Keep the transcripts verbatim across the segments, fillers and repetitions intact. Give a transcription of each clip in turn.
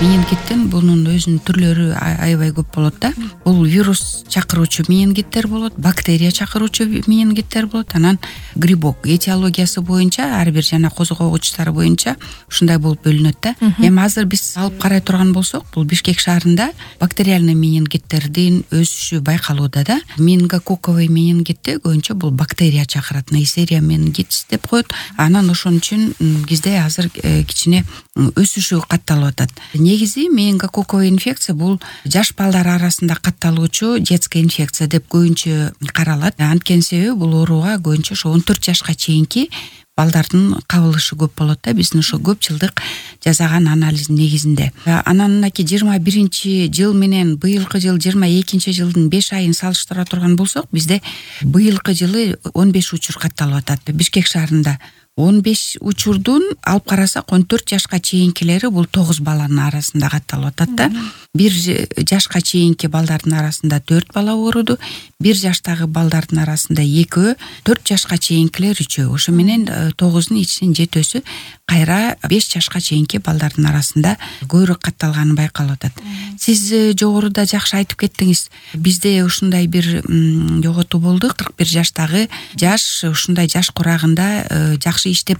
Менингиттин бунун өзүнүн түрлөрү аябай көп болот да. Бул вирус чакыруучу менингиттер болот, бактерия чакыруучу менингиттер болот, анан грибок. Этиологиясы боюнча ар бир жана козгогучтары боюнча ушундай болуп бөлүнөт да. Эми азыр биз алып карай турган болсок, бул Бишкек шаарында бактериальный менингиттердин өсүшү байкалууда да. Менингококковый менингитти көбүнчө бул бактерия чакырат, Neisseria meningitис деп коет. Анан ошон үчүн бизде азыр кичине өсүшү катталып атат. Негизи менингококковый инфекция бул жаш балдар арасында катталуучу детская инфекция деп көбүнчө каралат. Анткени себеби бул ооруга көбүнчө ошо он төрт жашка чейинки балдардын кабылышы көп болот да, биздин ошо көп жылдык жасаган анализдин негизинде. Анан мынакей жыйырма биринчи жыл менен быйылкы жыл жыйырма экинчи жылдын беш айын салыштыра турган болсок, бизде быйылкы жылы он беш учур катталып атат. Бишкек шаарында он беш учурдун алып карасак он төрт жашка чейинкилери бул тогуз баланын арасында катталып атат да. бир жашка чейинки балдардын арасында төрт бала ооруду, бир жаштагы балдардын арасында экөө, төрт жашка чейинкилер үчөө. Ошо менен тогуздун ичинин жетөөсү кайра беш жашка чейинки балдардын арасында көбүрөөк катталганы байкалып атат. Сиз жогоруда жакшы айтып кеттиңиз. Бизде ушундай бир жоготуу болду. кырк бир жаштагы жаш ушундай жаш курагында жакшы иштеп,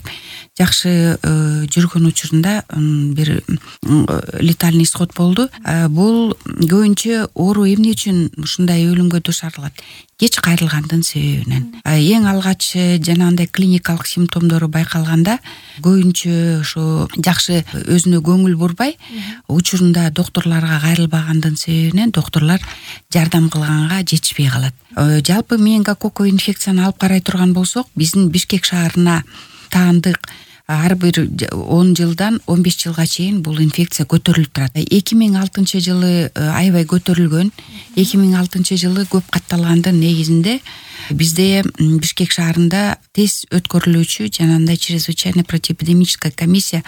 жакшы жүргөн учурунда бир летальный исход болду. Бул көбүнчө оору эмне үчүн ушундай өлүмгө душарлат? Кеч кайрылгандын себебинен. Эң алгач жанагындай клиникалык симптомдору байкалганда көбүнчө ошо жакшы өзүнө көңүл бурбай, учурунда доктурларга кайрылбагандын себебинен доктурлар жардам кылганга жетишпей калат. Жалпы менингококковый инфекцияны алып карай турган болсок, биздин Бишкек шаарына таандык ар бир он жылдан он беш жылга чейин бул инфекция көтөрүлүп турат. эки миң алтынчы жылы аябай көтөрүлгөн. эки миң алтынчы жылы көп катталгандын негизинде бизде Бишкек шаарында тез өткөрүлүүчү жанагындай чрезвычайно противоэпидемическая комиссия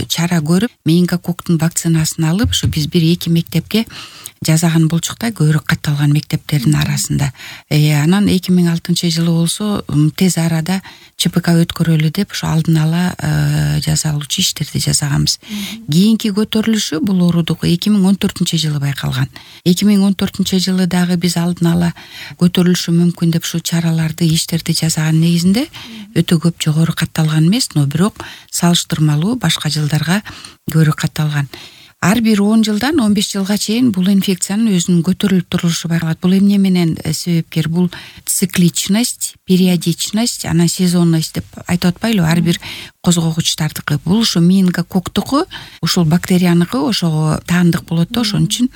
чара көрүп, менингококктун вакцинасын алып, ошо биз бир эки мектепке жазаган болчук да, көбүрөөк катталган мектептердин арасында. Э, анан эки миң алтынчы жылы болсо тез арада ЧПК өткөрөлү деп ошо алдын ала жазалуучу иштерди жасаганбыз. Кийинки көтөрүлүшү бул оорудук эки миң он төртүнчү жылы байкалган. эки миң он төртүнчү жылы дагы биз алдын ала көтөрүлүшү мүмкүн деп ушу чараларды, иштерди жасаган негизинде өтө көп жогору катталган эмес, но бирок салыштырмалуу башка жылдарга көбүрөөк катталган. Ар бир он жылдан он беш жылга чейин бул инфекциянын өзүнүн көтөрүлүп турушу байкалат. Бул эмне менен себепкер? Бул цикличность, периодичность, анан сезонность деп айтып атпайлыбы? Ар бир козгогучтардыкы. Бул ушу менингококктуку, ушул бактерияныкы ошого таандык болот да, ошон үчүн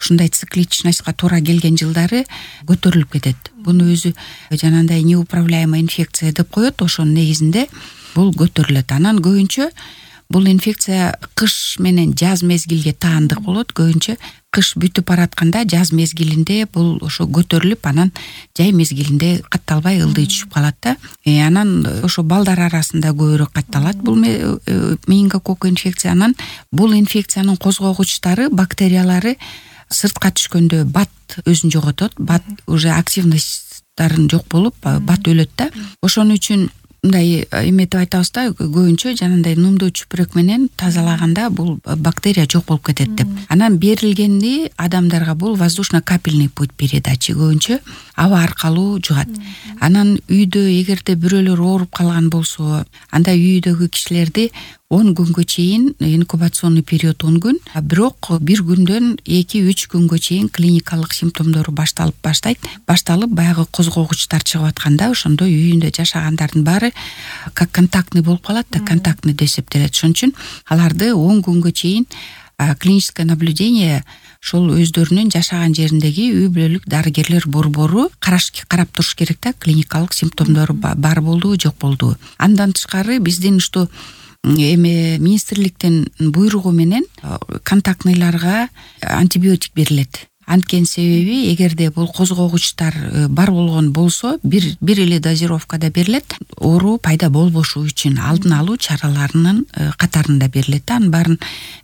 ушундай цикличностька туура келген жылдары көтөрүлүп кетет. Буну өзү жанагындай неуправляемая инфекция деп коет, ошонун негизинде бул көтөрүлөт. Анан көбүнчө бул инфекция кыш менен жаз мезгилге таандык болот. Көбүнчө кыш бүтүп баратканда жаз мезгилинде бул ошо көтөрүлүп, анан жай мезгилинде катталбай ылдый түшүп калат да. Э, анан ошо балдар арасында көбүрөөк катталат бул менингококк инфекция. Анан бул инфекциянын козгогучтары, бактериялары сыртка түшкөндө бат өзүн жоготот. Бат уже активностьтарын жок болуп, бат өлөт да. Ошон үчүн мындай эметип айтабыз да, көбүнчө жанагындай нумдуу чүпүрөк менен тазалаганда бул бактерия жок болуп кетет деп. Анан берилгенди адамдарга бул воздушно-капельный путь передачи, көбүнчө аба аркылуу жугат. Анан үйдө эгерде бирөөлөр ооруп калган болсо, анда үйдөгү кишилерди он күнгө чейин, инкубационный период он күн, бирок бир күндөн эки үч күнгө чейин клиникалык симптомдору башталып баштайт. Башталып баягы козгогучтар чыгып атканда, ошондо үйүндө жашагандардын баары как контактный болуп калат да, контактный деп эсептелет. Ошон үчүн аларды он күнгө чейин клиническое наблюдение ошол өздөрүнүн жашаган жериндеги үй бүлөлүк дарыгерлер борбору караш карап туруш керек да, клиникалык симптомдору бар болдубу, жок болдубу. Андан тышкары биздин ушту эме министрликтин буйругу менен контактныйларга антибиотик берилет. Анткени себеби эгерде бул козгогучтар бар болгон болсо, бир бир эле дозировкада берилет. Оору пайда болбошу үчүн алдын алуу чараларынын катарында берилет. Анын баарын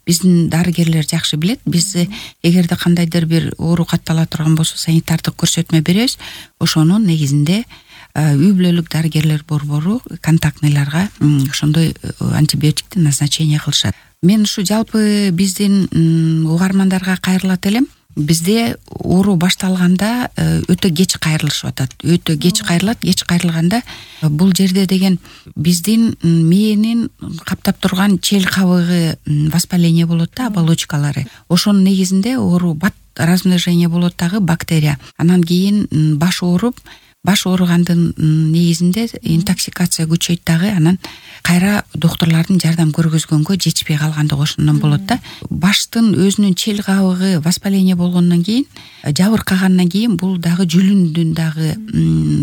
биздин дарыгерлер жакшы билет. Биз эгерде кандайдыр бир оору каттала турган болсо, санитардык көрсөтмө беребиз. Ошонун негизинде үй бүлөлүк дарыгерлер борбору контактныйларга ошондой антибиотикти назначение кылышат. мен ушу жалпы биздин угармандарга кайрылат элем. Бизде оору башталганда өтө кеч кайрылышып атат. Өтө кеч кайрылат. Кеч кайрылганда бул жерде деген биздин мээнин каптап турган чел кабыгы воспаление болот да, оболочкалары. Ошонун негизинде оору бат размножение болот дагы бактерия. Анан кийин баш ооруп, баш ооругандын негизинде интоксикация күчөйт дагы, анан кайра доктурлардын жардам көргөзгөнгө жетишпей калгандыгы ошондон болот да. Баштын өзүнүн чел кабыгы воспаление болгондон кийин, жабыркагандан кийин бул дагы жүлүндүн дагы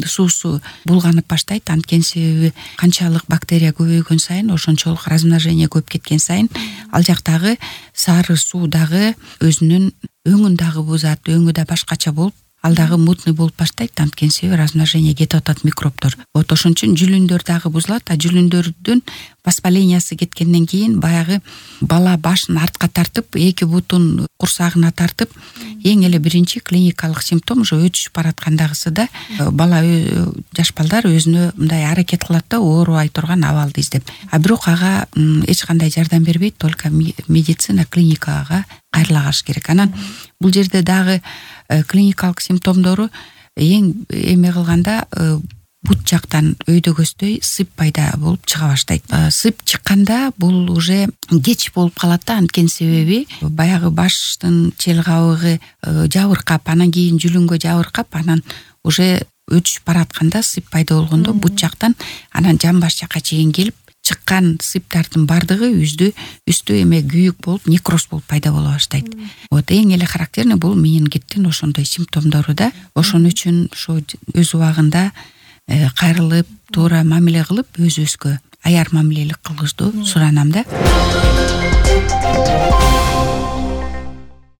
суусу булганып баштайт. Анткени себеби канчалык бактерия көбөйгөн сайын, ошончолук размножение көп кеткен сайын, ал жактагы сары суу дагы өзүнүн өңүн дагы бузат, өңү да башкача болуп, ал дагы мутный болуп баштайт. Анткени себеби размножение кетип атат микробдор. Вот ошон үчүн жүлүндөр дагы бузулат. А жүлүндөрдүн воспалениясы кеткенден кийин баягы бала башын артка тартып, эки бутун курсагына тартып, эң эле биринчи клиникалык симптом ошо өтүшүп бараткандагысы да бала, жаш балдар өзүнө мындай аракет кылат да, оорубай турган абалды издеп. А бирок ага эч кандай жардам бербейт, только медицина, клиникага кайрылагаш керек. Анан бул жерде дагы клиникалык симптомдору эң эме кылганда бут жактан өйдөгөсдөй сып пайда болуп чыга баштайт. Сып чыкканда бул уже кеч болуп калат да, анткени себеби баягы баштын чел кабыгы жабыркап, анан кийин жүлүнгө жабыркап, анан уже өтүшүп баратканда сып пайда болгондо бут жактан анан жамбаш жакка чейин келип, чыккан сыптардын бардыгы үздү үстү эме күйүк болуп, некроз болуп пайда боло баштайт. Вот эң эле характерный бул менингиттин ошондой симптомдору да. Ошон үчүн ошо өз убагында кайрылып, туура мамиле кылып, өзүбүзгө аяр мамилелик кылышты суранам да.